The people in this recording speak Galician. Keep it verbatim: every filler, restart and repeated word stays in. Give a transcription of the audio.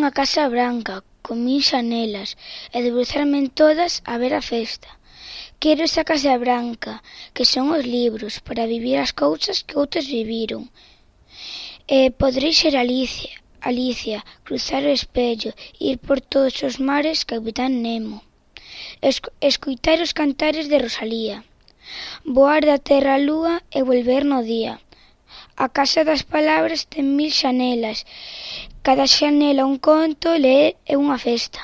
unha casa branca, con mil xanelas, e debruçarme en todas a ver a festa. Quero esa casa branca, que son os libros, para vivir as cousas que outros viviron. E poderei ser Alicia, Alicia, cruzar o espello, ir por todos os mares, Capitán Nemo. Esc- escoitar os cantares de Rosalía. Voar da terra á lúa e volver no día. A casa das palabras ten mil xanelas. Cada xanela un conto, ler é unha festa.